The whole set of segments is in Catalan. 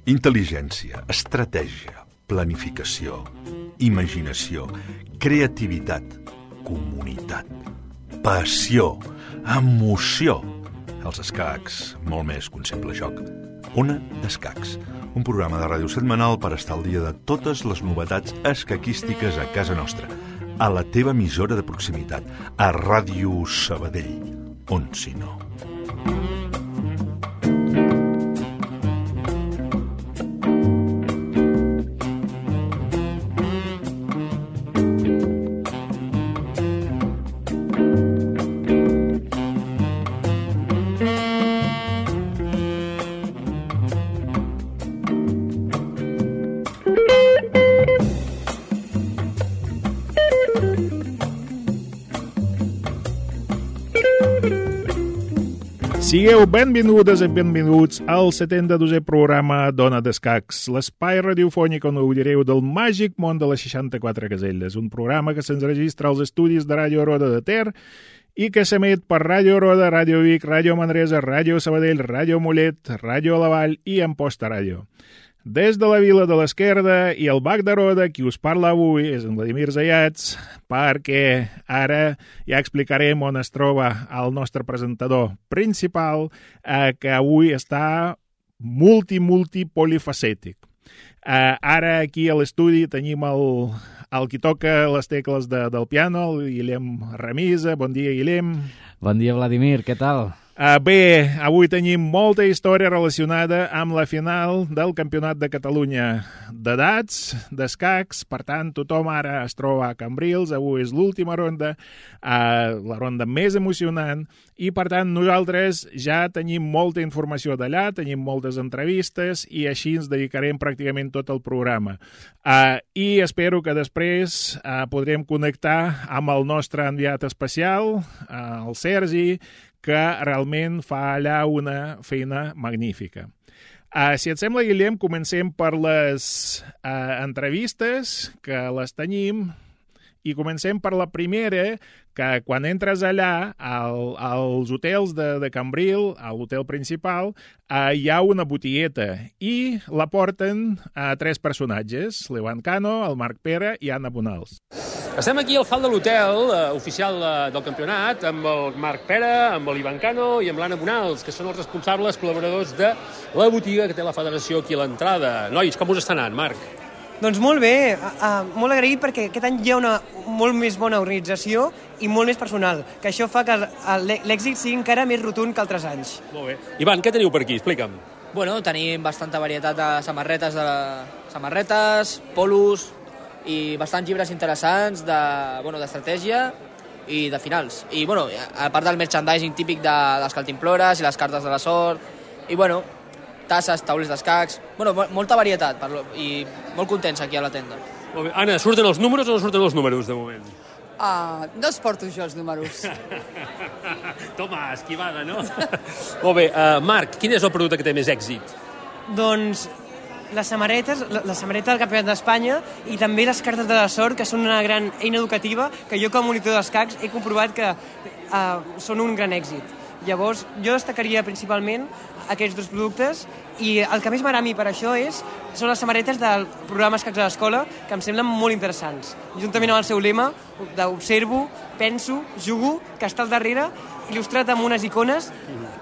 Intel·ligència, estratègia, planificació, imaginació, creativitat, comunitat, passió, emoció. Els escacs, molt més que un simple joc. Ona d'Escacs, un programa de ràdio setmanal per estar al dia de totes les novetats escaquístiques a casa nostra, a la teva emissora de proximitat, a Ràdio Sabadell, on si no. Sigueu benvingudes i benvinguts al 72è programa d'Ona d'Escacs, l'espai radiofònic on gaudireu del màgic món de les 64 caselles, un programa que se'ns registra als estudis de Ràdio Roda de Ter i que s'emet per Ràdio Roda, Ràdio Vic, Ràdio Manresa, Ràdio Sabadell, Ràdio Mollet, Ràdio La Vall i Amposta Ràdio. Des de la Vila de l'Esquerda i el Bac de Roda, qui us parla avui és en Vladimir Zayats, perquè ara ja explicarem on es troba el nostre presentador principal, que avui està multipolifacètic. Ara aquí a l'estudi tenim el qui toca les tecles del piano, el Guillem Ramisa. Bon dia, Guillem. Bon dia, Vladimir. Què tal? Bé, avui tenim molta història relacionada amb la final del Campionat de Catalunya d'edats, d'escacs. Per tant, tothom ara es troba a Cambrils. Avui és l'última ronda, la ronda més emocionant, i per tant nosaltres ja tenim molta informació d'allà, tenim moltes entrevistes i així ens dedicarem pràcticament tot el programa. I espero que després podrem connectar amb el nostre enviat especial, el Sergi, que realment fa allà una feina magnífica. Si et sembla, Guillem, comencem per les entrevistes, que les tenim, i comencem per la primera, que quan entres allà als hotels de Cambril, a l'hotel principal, hi ha una botigueta i la porten a tres personatges, l'Ivan Cano, el Marc Pere i Anna Bonals. Estem aquí al hall de l'hotel oficial del campionat amb el Marc Pere, amb l'Ivan Cano i amb l'Anna Bonals, que són els responsables col·laboradors de la botiga que té la federació aquí a l'entrada. Nois, com us està anant, Marc? Doncs molt bé, molt agraït perquè aquest any hi ha una molt més bona organització i molt més personal, que això fa que l'èxit sigui encara més rotund que altres anys. Molt bé. Ivan, què teniu per aquí? Explica'm. Bueno, tenim bastanta varietat de samarretes, polos i bastants llibres interessants d'estratègia i de finals. I, bueno, a part del merchandising típic de les cantimplores i les cartes de la sort, i, bueno, tasses, taulers d'escacs, bueno, molta varietat i molt contents aquí a la tenda. Molt bé. Anna, surten els números o no surten els números de moment? No els porto jo, els números. Toma, esquivada, no? Molt bé. Marc, quin és el producte que té més èxit? Doncs la samarreta del Campionat d'Espanya i també les cartes de la sort, que són una gran eina educativa que jo com a monitor d'escacs he comprovat que són un gran èxit. Llavors, jo destacaria principalment aquests dos productes i el que més m'agrada a mi per això són les samarretes del programa Escacs a l'Escola, que em semblen molt interessants. Juntament amb el seu lema d'observo, penso, jugo, que està al darrere, il·lustrat amb unes icones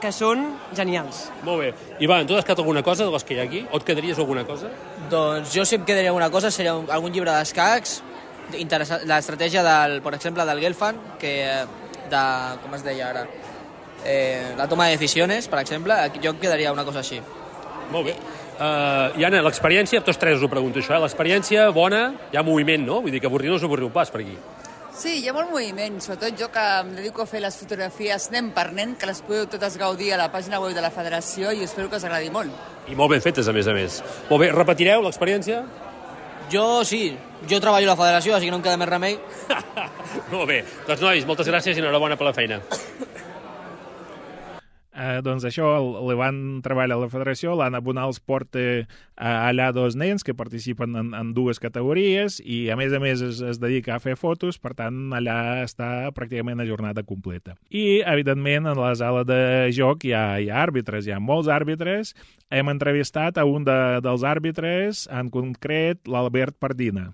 que són genials. Molt bé. Ivan, tu has quedat alguna cosa de les que hi ha aquí? O et quedaries alguna cosa? Doncs jo si em quedaria alguna cosa seria algun llibre d'escacs, l'estratègia, per exemple, del Gelfand, com es deia ara? La toma de decisiones, per exemple, jo em quedaria una cosa així. Molt bé. I Anna, l'experiència, tots tres us ho pregunto això, l'experiència bona, hi ha moviment, no? Vull dir que avorrir no us avorriu pas per aquí. Sí, hi ha molt moviment, sobretot jo que em dedico a fer les fotografies nen per nen, que les podeu totes gaudir a la pàgina web de la federació i espero que us agradi molt. I molt ben fetes, a més. Molt bé, repetireu l'experiència? Jo sí, jo treballo a la federació, així que no em queda més remei. Molt bé, doncs nois, moltes gràcies i enhorabona per la feina. doncs això, li van treballar a la federació, l'Anna Bonals porta allà 2 nens que participen en 2 categories i a més es dedica a fer fotos, per tant allà està pràcticament a jornada completa. I evidentment en la sala de joc hi ha àrbitres, hi ha molts àrbitres. Hem entrevistat a un dels àrbitres, en concret l'Albert Pardina.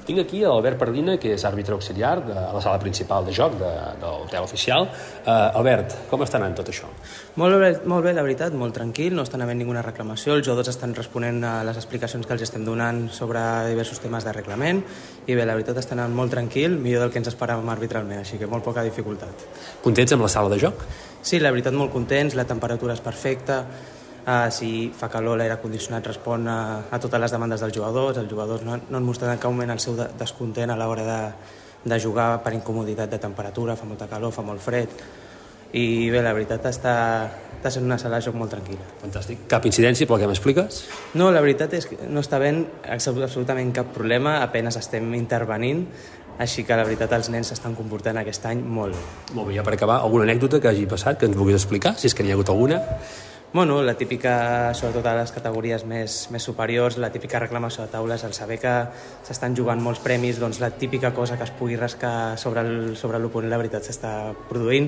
Tinc aquí l'Albert Pardina, que és àrbitre auxiliar de la sala principal de joc de l'hotel oficial. Albert, com està anant tot això? Molt bé, la veritat, molt tranquil, no estan havent ninguna reclamació, els jugadors estan responent a les explicacions que els estem donant sobre diversos temes de reglament i bé, la veritat està anant molt tranquil, millor del que ens esperàvem arbitralment, així que molt poca dificultat. Contents amb la sala de joc? Sí, la veritat molt contents, la temperatura és perfecta, si fa calor l'aire condicionat respon a totes les demandes dels jugadors no han mostrat en cap moment el seu descontent a l'hora de jugar per incomoditat de temperatura, fa molta calor, fa molt fred i bé, la veritat està sent una sala de joc molt tranquil·la. Fantàstic. Cap incidència pel que m'expliques? No, la veritat és que no està havent absolutament cap problema, apenas estem intervenint, així que la veritat els nens s'estan comportant aquest any molt bé. Molt bé, ja per acabar, alguna anècdota que hagi passat que ens vulguis explicar, si és que n'hi ha hagut alguna? Bueno, la típica, sobretot a les categories més superiors, la típica reclamació de taules, al saber que s'estan jugant molts premis, doncs la típica cosa que es pugui rascar sobre l'oponent, la veritat s'està produint,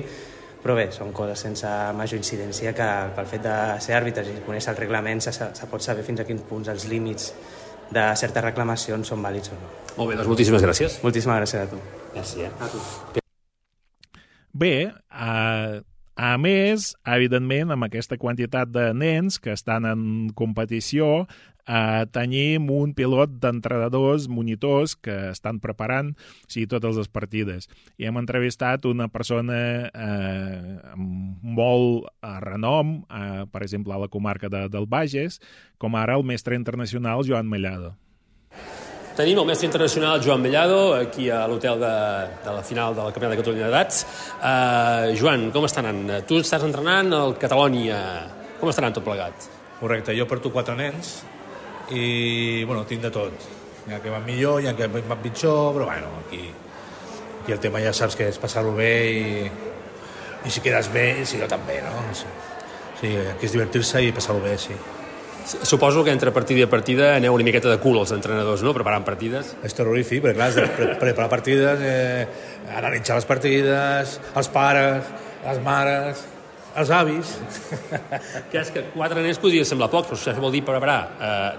però bé, són coses sense major incidència que pel fet de ser àrbitres i conèixer el reglament se pot saber fins a quins punts els límits de certes reclamacions són vàlids o no. Molt bé, doncs moltíssimes gràcies. Moltíssimes gràcies a tu. Gràcies. A tu. Bé, a més, evidentment, amb aquesta quantitat de nens que estan en competició, tenim un pilot d'entrenadors, monitors, que estan preparant totes les partides. I hem entrevistat una persona amb molt renom, per exemple, a la comarca del Bages, com ara el mestre internacional Joan Mellado. Tenim el mestre internacional Joan Mellado aquí a l'hotel de la final del Campionat de Catalunya d'edats. Joan, com està anant? Tu estàs entrenant al Catalònia. Com està anant tot plegat? Correcte, jo porto 4 nens i, bueno, tinc de tot. Hi ha que van millor, hi ha que van pitjor, però, bueno, aquí el tema ja saps que és passar-ho bé i si quedes bé, si jo també, no? Sí, aquí és divertir-se i passar-ho bé, sí. Suposo que entre partida i partida aneu una miqueta de cul els entrenadors, no?, preparant partides. És terrorífic, perquè clar, has de preparar partides, analitzar les partides, els pares, les mares, els avis. Que és que 4 nens podria semblar poc, però això vol dir preparar.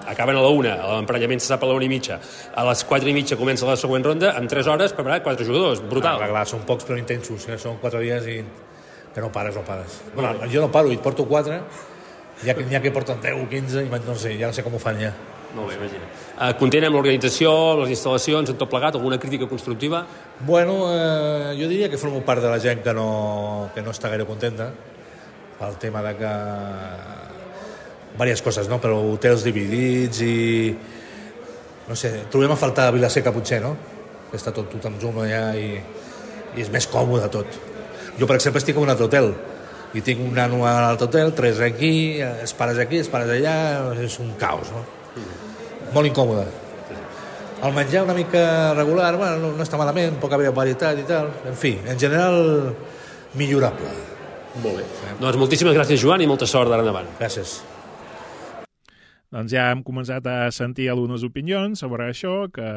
Acaben a la 1, l'emparellament se sap a la 1:30. A les 4:30 comença la següent ronda, en 3 hores preparar 4 jugadors. Brutal. Clar, són pocs però intensos, són 4 dies i que no pares. Bueno, jo no paro, i porto 4, hi ha que porten 10 o 15 i no sé, ja no sé com ho fan ja. Molt bé, imagina. Content amb l'organització, les instal·lacions, en tot plegat, alguna crítica constructiva? Bueno, jo diria que formo part de la gent que no està gaire contenta pel tema de que diverses coses, no? Però hotels dividits i no sé, trobem a faltar a Vilaseca potser, no? Que està tot en zoom allà i és més còmode tot. Jo, per exemple, estic en un altre hotel i tinc un nano a l'altre hotel, 3 aquí, els pares allà, és un caos, no? Molt incòmode. El menjar una mica regular, bueno, no està malament, poca varietat i tal, en fi, en general millorable. Molt bé. Doncs moltíssimes gràcies, Joan, i molta sort d'ara endavant. Gràcies. Doncs ja hem començat a sentir algunes opinions sobre això, que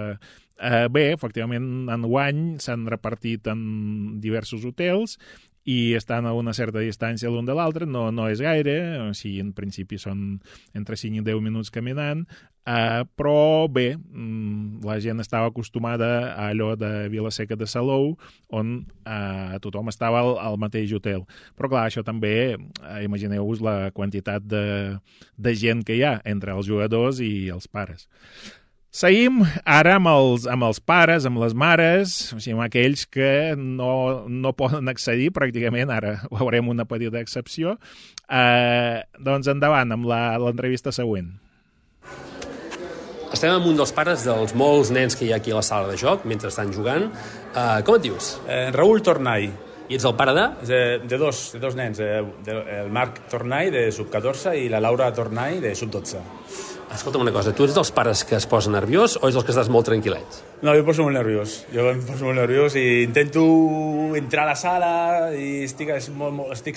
bé, efectivament, enguany s'han repartit en diversos hotels i estan a una certa distància l'un de l'altre, no és gaire, o sigui, en principi són entre 5 i 10 minuts caminant, però bé, la gent estava acostumada a allò de Vilaseca de Salou, on tothom estava al mateix hotel. Però clar, això també, imagineu-vos la quantitat de gent que hi ha entre els jugadors i els pares. Seguim ara amb els pares, amb les mares, o sigui, amb aquells que no poden accedir pràcticament, ara veurem una petita excepció. Doncs endavant amb l'entrevista següent. Estem amb un dels pares dels molts nens que hi ha aquí a la sala de joc mentre estan jugant. Com et dius? Raül Tornai. I ets el pare de? De dos nens, el Marc Tornai de sub-14 i la Laura Tornai de sub-12. Escolta'm una cosa, tu ets dels pares que es posen nerviós o ets dels que estàs molt tranquil·lets? No, jo em poso molt nerviós. I intento entrar a la sala i estic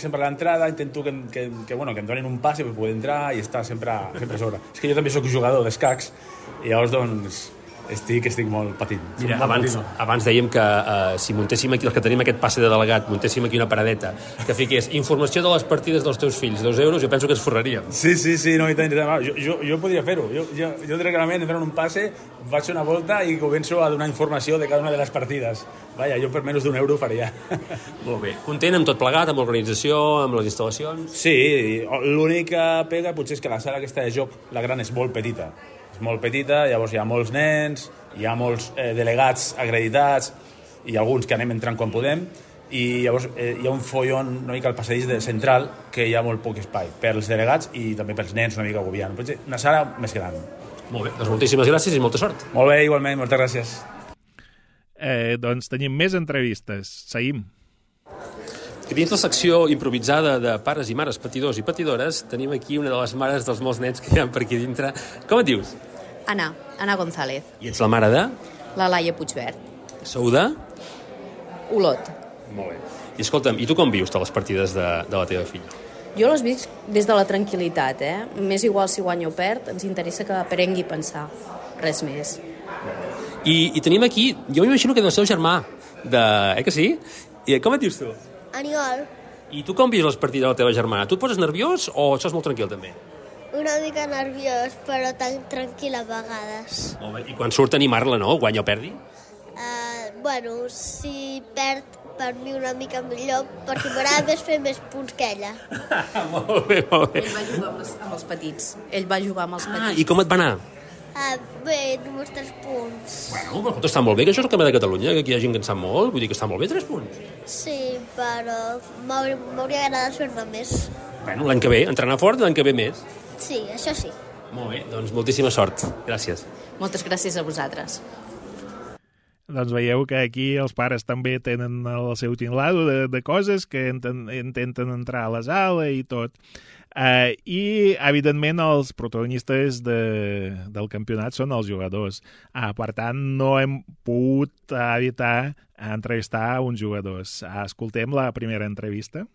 sempre a l'entrada, intento que em donin un pas per poder entrar i estar sempre a sobre. És que jo també sóc jugador d'escacs i llavors, doncs, estic molt patint. Mira, abans dèiem que si muntéssim aquí, els que tenim aquest passe de delegat, muntéssim aquí una paradeta que fiqués informació de les partides dels teus fills, 2 euros, jo penso que ens forraríem. Sí, no, i tant. Jo podria fer-ho. Jo directament entro en un passe, faig una volta i començo a donar informació de cada una de les partides. Vaja, jo per menys d'1 euro ho faria. Molt bé. Content amb tot plegat, amb l'organització, amb les instal·lacions? Sí, l'única pega potser és que la sala aquesta de joc, la gran, és molt petita. Molt petita, llavors hi ha molts nens, hi ha molts delegats acreditats i alguns que anem entrant quan podem, i llavors hi ha un follon una mica al passadís central que hi ha molt poc espai per als delegats i també pels nens una mica agobiant. Una sala més gran. Molt bé, doncs moltíssimes gràcies i molta sort. Molt bé, igualment, moltes gràcies. Doncs tenim més entrevistes. Seguim. I dins la secció improvisada de pares i mares patidors i patidores tenim aquí una de les mares dels molts nens que hi ha per aquí dintre. Com et dius? Ana González. I ets la mare de? La Laia Puigvert. Sou de? Olot. Molt bé. I escolta'm, i tu com vius les partides de la teva filla? Jo les visc des de la tranquil·litat, M'és igual si guanya o perd, ens interessa que aprengui a pensar. Res més. I tenim aquí, jo m'imagino que és el seu germà, que sí? I com et dius tu? Aniol. I tu com vius les partides de la teva germana? Tu et poses nerviós o estàs molt tranquil també? Una mica nerviós, però tan tranquil a vegades. Molt bé. I quan surt animar-la, no? Guanya o perdi? Si perd, per mi una mica millor, perquè m'agrada més fer més punts que ella. Molt bé. Ell va jugar amb els petits. I com et va anar? Bé, només 3 punts. Bueno, però està molt bé, que això és el Campionat de Catalunya, que aquí hi ha gent que en sap molt, vull dir que està molt bé, 3 punts. Sí, però m'hauria agradat fer-ne més. Bueno, l'any que ve, entrenar fort, l'any que ve més. Sí, això sí. Molt bé, doncs moltíssima sort. Gràcies. Moltes gràcies a vosaltres. Doncs veieu que aquí els pares també tenen el seu tinglado de coses que intenten entrar a la sala i tot. I, evidentment, els protagonistes del campionat són els jugadors. Per tant, no hem pogut evitar entrevistar uns jugadors. Escoltem la primera entrevista.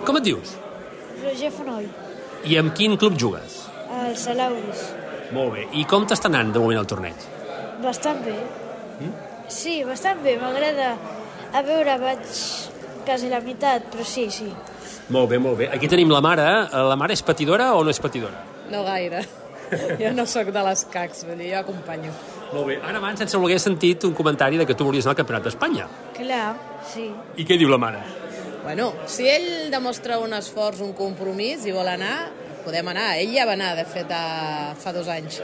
Com et dius? Roger Fonoll. I amb quin club jugues? El Salauris. Molt bé. I com t'està anant de moment el torneig? Bastant bé. Sí, bastant bé. M'agrada. A veure, vaig quasi la meitat, però sí. Molt bé. Aquí tenim la mare. La mare és patidora o no és patidora? No gaire. Jo no sóc de les cacs, vull dir, jo acompanyo. Molt bé. Ara abans, sense voler, he sentit un comentari de que tu volies anar al Campionat d'Espanya. Clar, sí. I què diu la mare? Bueno, si ell demostra un esforç, un compromís i vol anar, podem anar. Ell ja va anar, de fet, fa 2 anys.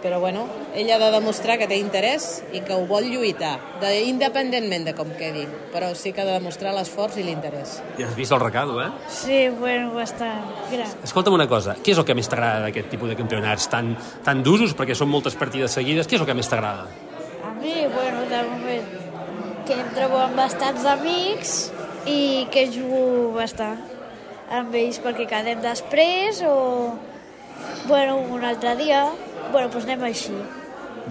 Però, bueno, ell ha de demostrar que té interès i que ho vol lluitar, independentment de com quedi. Però sí que ha de demostrar l'esforç i l'interès. Ja has vist el recado, Sí, bueno, bastant gran. Escolta'm una cosa, què és el que més t'agrada d'aquest tipus de campionats tan d'usos, perquè són moltes partides seguides, què és el que més t'agrada? A mi, bueno, de moment, que em trobo amb bastants amics i que jugo bastant amb ells perquè quedem després o, bueno, un altre dia. Bueno, doncs anem així.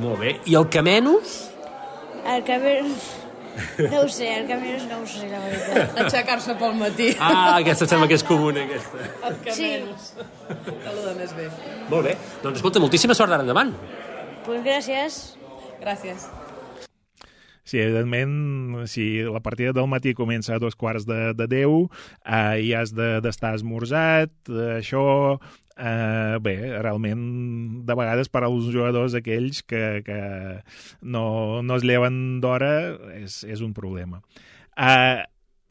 Molt bé. I el que menys? El que menys... No ho sé, la veritat. Aixecar-se pel matí. Aquesta sembla que és comuna, aquesta. El que menys. Tot el més bé. Molt bé. Doncs escolta, moltíssima sort d'ara endavant. Doncs gràcies. Gràcies. Sí, evidentment, si la partida del matí comença a 9:45 i has d'estar esmorzat, això... bé, realment, de vegades per als jugadors aquells que no es lleven d'hora és un problema.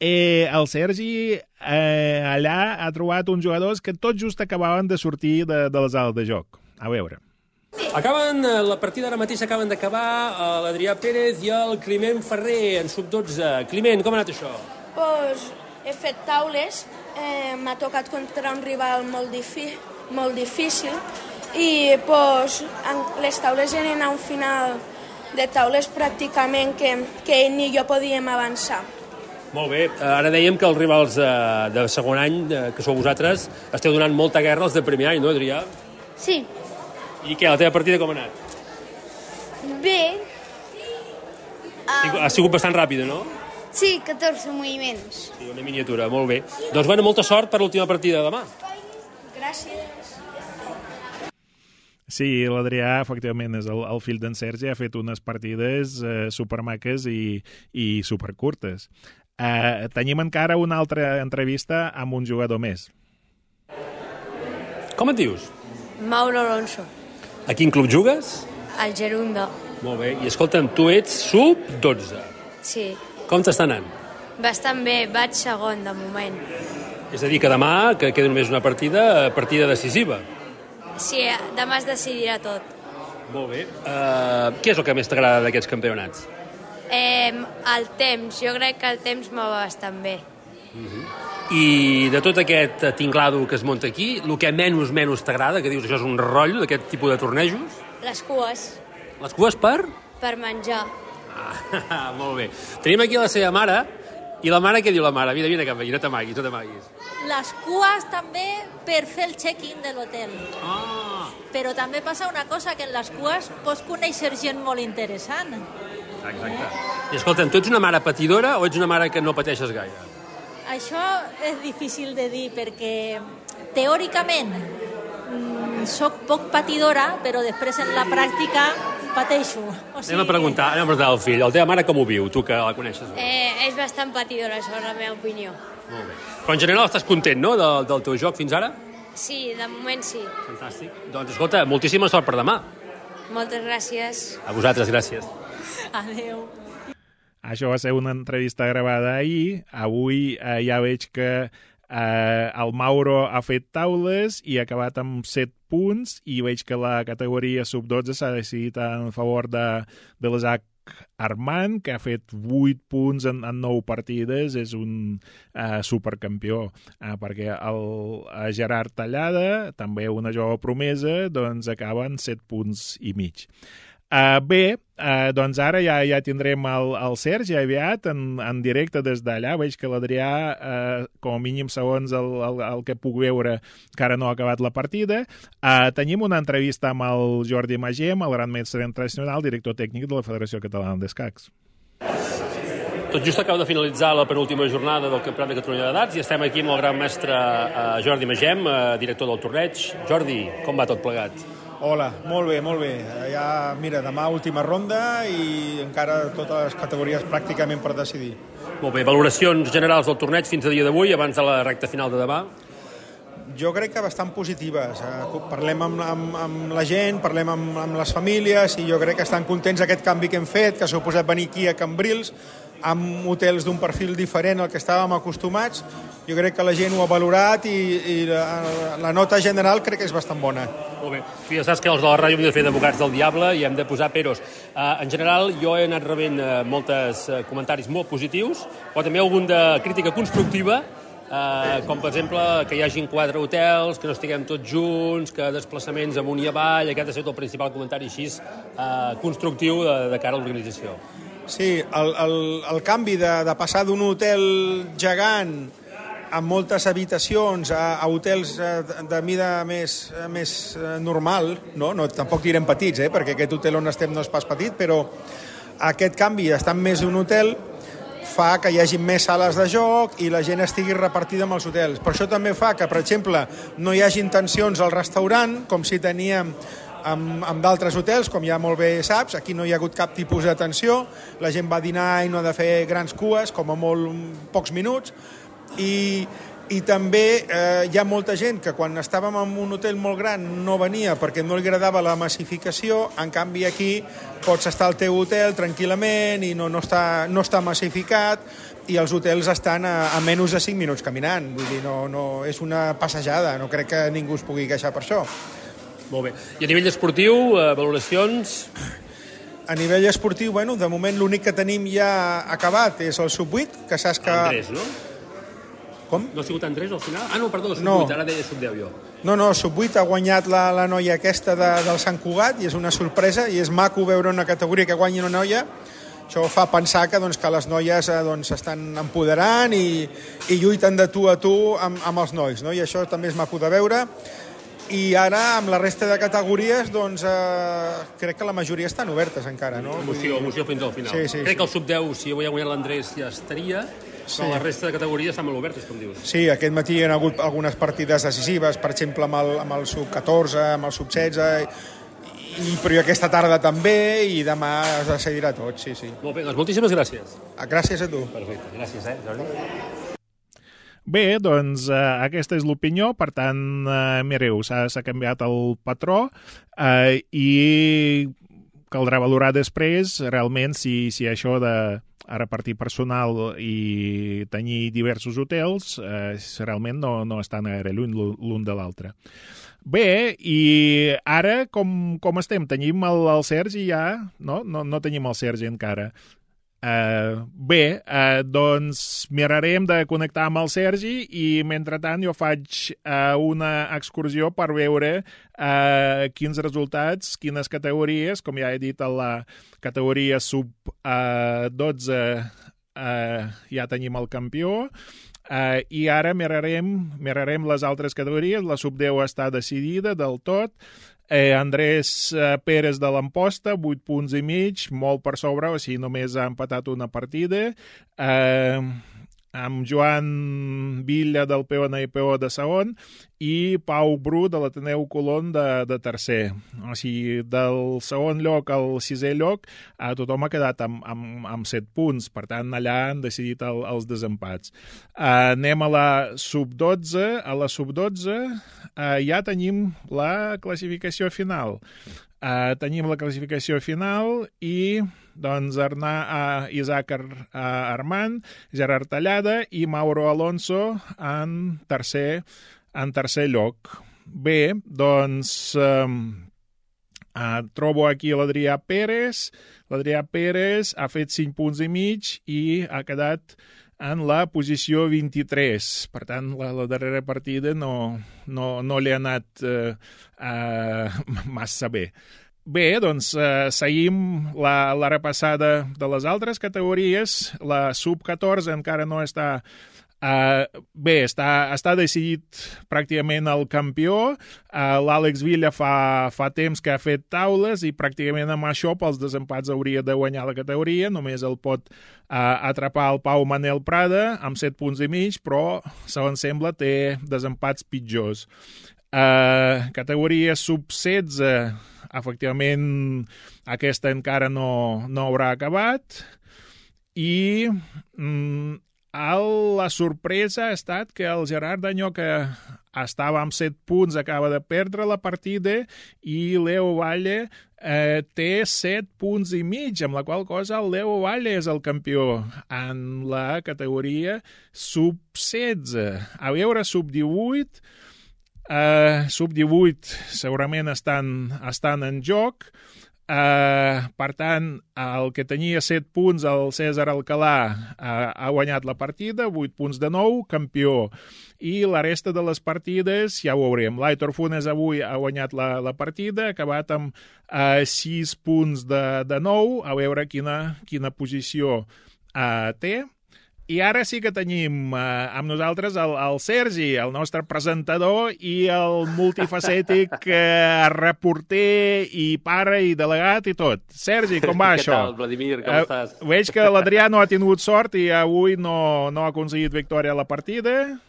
El Sergi allà ha trobat uns jugadors que tot just acabaven de sortir de la sala de joc. A veure. La partida ara mateix acaben d'acabar l'Adrià Pérez i el Climent Ferrer en sub-12. Climent, com ha anat això? Doncs he fet taules, m'ha tocat contra un rival molt difícil i doncs, les taules eren a un final de taules pràcticament que ell ni jo podíem avançar. Molt bé, ara dèiem que els rivals de segon any, que sou vosaltres, esteu donant molta guerra als de primer any, no, Adrià? Sí. I què, la teva partida com ha anat? Bé. Ha sigut bastant ràpida, no? Sí, 14 moviments. Sí, una miniatura, molt bé. Doncs bueno, molta sort per l'última partida de demà. Gràcies. Sí, l'Adrià, efectivament, és el fill d'en Sergi, ha fet unes partides supermaques i supercurtes. Tenim encara una altra entrevista amb un jugador més. Com et dius? Mauro Alonso, A quin club jugues? al Gerunda. Molt bé. I escolta'm, tu ets sub-12. Sí, Com t'està anant? bastant bé, vaig segon de moment. És a dir, que demà, que queda només una partida decisiva. Sí, demà es decidirà tot. Molt bé. Què és el que més t'agrada d'aquests campionats? El temps, jo crec que el temps me va bastant bé. I de tot aquest tinglado que es munta aquí, el que menys t'agrada, que dius això és un rotllo d'aquest tipus de tornejos? Les cues, Les cues per? per menjar. Molt bé. Tenim aquí la seva mare, i la mare, què diu la mare? Vine cap aquí, no t'amaguis. Les cues també per fer el check-in de l'hotel. Però també passa una cosa, que en les cues pots conèixer gent molt interessant. Exacte. I escolta'm, tu ets una mare patidora o ets una mare que no pateixes gaire? Això és difícil de dir perquè teòricament soc poc patidora, però després en la pràctica pateixo. Anem a preguntar al fill, la teva mare com ho viu, tu que la coneixes? És bastant patidora, això és la meva opinió. Molt bé. Però en general estàs content, no?, del teu joc fins ara? Sí, de moment sí. Fantàstic. Doncs escolta, moltíssima sort per demà. Moltes gràcies. A vosaltres, gràcies. Adéu. Això va ser una entrevista gravada ahir. Avui ja veig que el Mauro ha fet taules i ha acabat amb 7 punts i veig que la categoria sub-12 s'ha decidit en favor de l'Isaac Armand, que ha fet 8 punts en 9 partides, és un supercampió, perquè el Gerard Tallada, també una jove promesa, doncs acaba en 7 punts i mig. Bé, doncs ara ja tindrem el Sergi aviat en directe des d'allà. Veig que l'Adrià, com a mínim segons el que puc veure, encara no ha acabat la partida. Tenim una entrevista amb el Jordi Magem, el gran mestre internacional, director tècnic de la Federació Catalana d'Escacs. Tot just acaba de finalitzar la penúltima jornada del Campionat de Catalunya d'Edats i estem aquí amb el gran mestre Jordi Magem, director del torneig. Jordi, com va tot plegat? Hola, molt bé. Ja, mira, demà última ronda i encara totes les categories pràcticament per decidir. Molt bé, valoracions generals del torneig fins a dia d'avui, abans de la recta final de demà? Jo crec que bastant positives. Parlem amb la gent, parlem amb les famílies i jo crec que estan contents d'aquest canvi que hem fet, que s'ha suposat venir aquí a Cambrils, amb hotels d'un perfil diferent al que estàvem acostumats. Jo crec que la gent ho ha valorat i la nota general crec que és bastant bona. Molt bé. Tu ja saps que els de la ràdio hem de fer d'advocats del diable i hem de posar peros. En general, jo he anat rebent molts comentaris molt positius, però també algun de crítica constructiva, com per exemple que hi hagin 4 hotels, que no estiguem tots junts, que desplaçaments amunt i avall. Aquest ha estat el principal comentari així constructiu de cara a l'organització. Sí, el canvi de passar d'un hotel gegant amb moltes habitacions a hotels de mida més normal, no, tampoc direm petits, perquè aquest hotel on estem no és pas petit, però aquest canvi d'estar més d'un hotel fa que hi hagi més sales de joc i la gent estigui repartida amb els hotels. Per això també fa que, per exemple, no hi hagi tensions al restaurant, com si teníem amb d'altres hotels, com ja molt bé saps. Aquí no hi ha hagut cap tipus de tensió, la gent va dinar i no ha de fer grans cues, com a molt pocs minuts, i també hi ha molta gent que quan estàvem en un hotel molt gran no venia perquè no li agradava la massificació. En canvi aquí pots estar al teu hotel tranquil·lament i no està massificat i els hotels estan a menys de 5 minuts caminant. Vull dir, no és una passejada, no crec que ningú es pugui queixar per això. Molt bé. I a nivell esportiu, valoracions? A nivell esportiu, bueno, de moment l'únic que tenim ja acabat és el sub-8, que saps que... Andrés, no? Com? No ha sigut Andrés al final? Ah, no, perdó, sub-8, ara deia sub-10 jo. No, sub-8 ha guanyat la noia aquesta del Sant Cugat i és una sorpresa i és maco veure una categoria que guanyi una noia. Això fa pensar que les noies estan empoderant i lluiten de tu a tu amb els nois, no? I això també és maco de veure. I ara, amb la resta de categories, doncs, crec que la majoria estan obertes encara, no? Emoció fins al final. Sí. Crec que el sub-10, si avui ha guanyat l'Andrés, ja estaria, però la resta de categories estan molt obertes, com dius. Sí, aquest matí hi ha hagut algunes partides decisives, per exemple, amb el sub-14, amb el sub-16, però aquesta tarda també, i demà es decidirà tot, sí. Molt bé, doncs moltíssimes gràcies. Gràcies a tu. Perfecte, gràcies, Jordi. Bé, doncs aquesta és l'opinió, per tant, mireu, s'ha canviat el patró i caldrà valorar després realment si això de repartir personal i tenir diversos hotels realment no estan gaire lluny l'un de l'altre. Bé, i ara com estem? Tenim el Sergi ja? No tenim el Sergi encara. Bé, doncs mirarem de connectar amb el Sergi i mentrestant jo faig una excursió per veure quins resultats, quines categories, com ja he dit a la categoria sub-12 ja tenim el campió, i ara mirarem les altres categories. La sub-10 està decidida del tot. Andrés Pérez de l'Amposta, 8 punts i mig, molt per sobre, o sigui, només ha empatat una partida. Amb Joan Villa del PO de segon i Pau Bru de l'Ateneu Colón de tercer. O sigui, del segon lloc al sisè lloc tothom ha quedat amb 7 punts, per tant allà han decidit els desempats. Anem a la sub-12. A la sub-12 ja tenim la classificació final. Tenim la classificació final i doncs Isaac Armand, Gerard Tallada i Mauro Alonso en tercer lloc. Bé, doncs trobo aquí l'Adrià Pérez. L'Adrià Pérez ha fet 5 punts i mig i ha quedat en la posició 23. Per tant, la darrera partida no li ha anat massa bé. Bé, doncs seguim la repassada de les altres categories. La sub-14 encara no està... Bé, està decidit pràcticament el campió. L'Àlex Villa fa temps que ha fet taules i pràcticament amb això pels desempats hauria de guanyar la categoria. Només el pot atrapar el Pau Manel Prada amb 7 punts i mig, però, segons sembla, té desempats pitjors. Categoria sub-16, efectivament, aquesta encara no haurà acabat. I la sorpresa ha estat que el Gerard Danyó, que estava amb 7 punts, acaba de perdre la partida, i Leo Valle té 7 punts i mig, amb la qual cosa el Leo Valle és el campió en la categoria sub-16. A veure, sub-18... sub-18 segurament estan en joc. Per tant, el que tenia 7 punts, el César Alcalà, ha guanyat la partida, 8 punts de nou, campió. I la resta de les partides ja ho veurem. L'Aitor Funes avui ha guanyat la partida, ha acabat amb 6 punts de nou, a veure quina posició té. I ara sí que tenim amb nosaltres el Sergi, el nostre presentador i el multifacètic reporter i pare i delegat i tot. Sergi, com va això? Què tal, Vladimir? Com estàs? Veig que l'Adrià no ha tingut sort i avui no ha aconseguit victòria a la partida.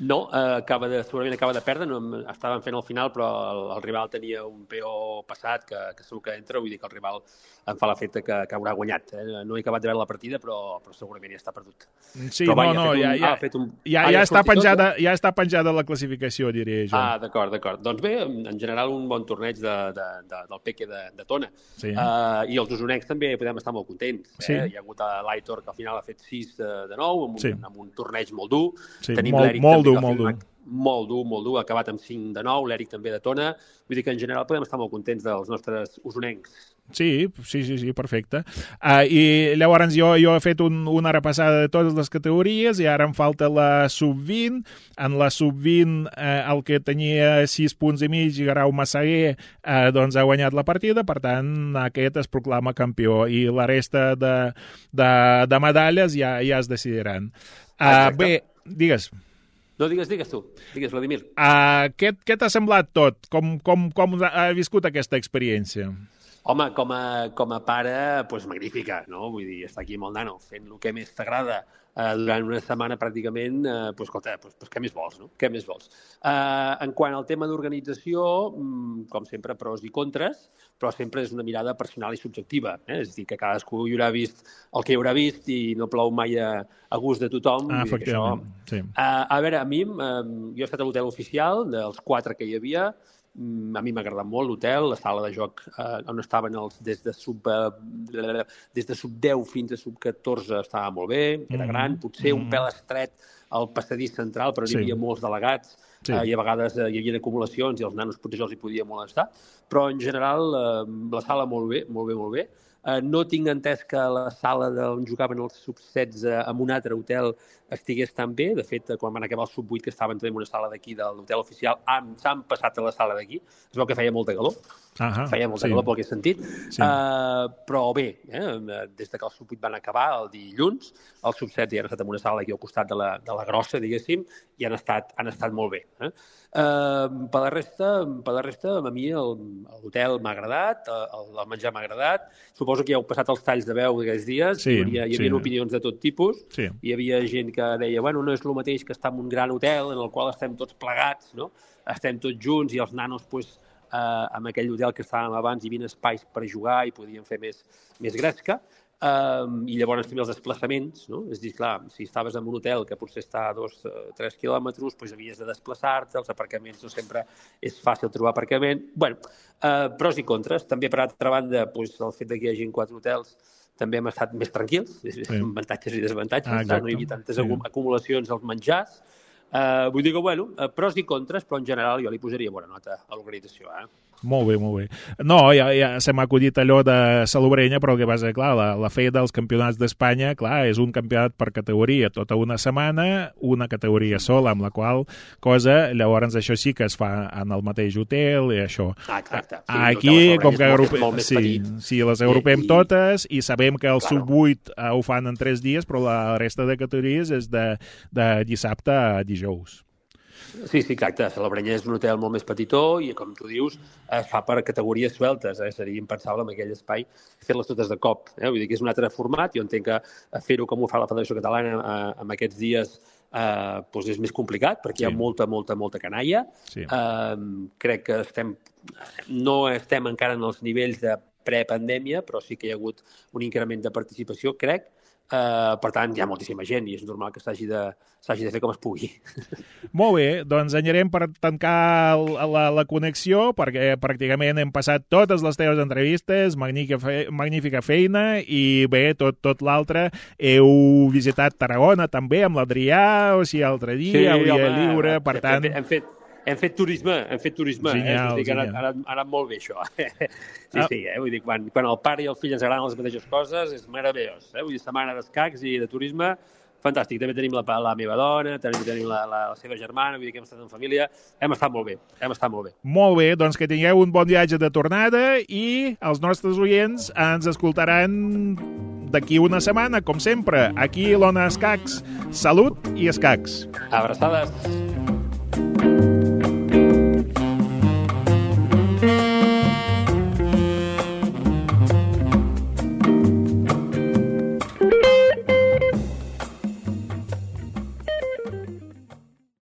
No, segurament acaba de perdre, estaven fent el final, però el rival tenia un PO passat que segur que entra, vull dir que el rival em fa l'efecte que haurà guanyat. No he acabat de veure la partida, però segurament ja està perdut. Sí, ja està penjada la classificació, diria jo. D'acord. Doncs bé, en general un bon torneig del Peque de Tona. Sí. I els usonencs també podem estar molt contents. Sí. Hi ha hagut l'Aitor, que al final ha fet 6 de 9, amb un torneig molt dur. Sí, tenim l'Eric molt dur, ha acabat amb 5 de 9, l'Eric també de Tona. Vull dir que en general podem estar molt contents dels nostres usonencs. Sí, perfecte. I llavors jo he fet una repassada de totes les categories i ara em falta la sub-20. En la sub-20 el que tenia 6 punts i mig, Guerau Massaguer, doncs ha guanyat la partida, per tant aquest es proclama campió i la resta de medalles ja es decidiran. Bé, digues. No, digues tu. Digues, Vladimir. Què t'ha semblat tot? Com ha viscut aquesta experiència? Home, com a pare, doncs magnífica, no? Vull dir, estar aquí amb el nano fent el que més t'agrada durant una setmana pràcticament, doncs escolta, què més vols, no? Què més vols? En quant al tema d'organització, com sempre, pros i contres, però sempre és una mirada personal i subjectiva. És a dir, que cadascú hi haurà vist el que hi haurà vist i no plou mai a gust de tothom. Efectivament, sí. A veure, a mi, jo he estat a l'hotel oficial, dels 4 que hi havia. A mi m'ha agradat molt l'hotel, la sala de joc on estaven des de sub 10 fins a sub 14 estava molt bé, era gran, potser un pèl estret al passadís central, però hi havia molts delegats i a vegades hi havia acumulacions i els nanos potser els hi podia molestar, però en general la sala molt bé, molt bé, molt bé. No tinc entès que la sala on jugaven els sub-16 en un altre hotel estigués tan bé. De fet, quan van acabar el sub-8, que estaven també en una sala d'aquí de l'hotel oficial, s'han passat a la sala d'aquí. Es veu que feia molta calor. Feia molta calor pel que he sentit. Però bé, des que el sub-8 van acabar el dilluns, els sub-16 ja han estat en una sala aquí al costat de la grossa, diguéssim, i han estat molt bé. Per la resta, a mi l'hotel m'ha agradat, el menjar m'ha agradat. Suposo que ja heu passat els talls de veu d'aquests dies. Hi havia opinions de tot tipus. Hi havia gent que deia, bueno, no és el mateix que estar en un gran hotel en el qual estem tots plegats, no? Estem tots junts i els nanos, en aquell hotel que estàvem abans, hi havia espais per jugar i podien fer més gresca. I llavors també els desplaçaments, no? És a dir, clar, si estaves en un hotel que potser està a 2-3 quilòmetres, doncs havies de desplaçar-te, els aparcaments no sempre és fàcil trobar aparcament. Bé, pros i contres. També, per altra banda, el fet que hi hagi 4 hotels també hem estat més tranquils, avantatges i desavantatges, no hi havia tantes acumulacions als menjars. Vull dir que, bueno, pros i contres, però en general jo li posaria bona nota a l'organització, Molt bé, molt bé. No, ja se m'ha acudit allò de Salobreña, però el que passa, clar, la fe dels campionats d'Espanya, clar, és un campionat per categoria, tota una setmana, una categoria sola, amb la qual cosa, llavors això sí que es fa en el mateix hotel i això. Exacte. Aquí, com que les agrupem totes i sabem que el sub-8 ho fan en 3 dies, però la resta de categories és de dissabte a dijous. Sí, exacte. Salobreña és un hotel molt més petitó i, com tu dius, es fa per categories sueltes. Seria impensable en aquell espai fer-les totes de cop. Vull dir que és un altre format. Jo entenc que fer-ho com ho fa la Federació Catalana en aquests dies és més complicat perquè hi ha molta canalla. Crec que no estem encara en els nivells de prepandèmia, però sí que hi ha hagut un increment de participació, crec. Per tant, hi ha moltíssima gent i és normal que s'hagi de fer com es pugui. Molt bé, doncs anirem per tancar la connexió perquè pràcticament hem passat totes les teves entrevistes, magnífica feina i bé, tot l'altre. Heu visitat Tarragona també amb l'Adrià, o sigui, l'altre dia, el dia lliure, per tant... Hem fet turisme. Genial, ha anat molt bé, això. Sí, vull dir, quan el pare i el fill ens agraden les mateixes coses, és meravellós. Vull dir, setmana d'escacs i de turisme, fantàstic. També tenim la meva dona, també tenim la seva germana, vull dir que hem estat en família. Hem estat molt bé. Molt bé, doncs que tingueu un bon viatge de tornada i els nostres oients ens escoltaran d'aquí una setmana, com sempre, aquí a l'Ona Escacs. Salut i escacs. Abraçades.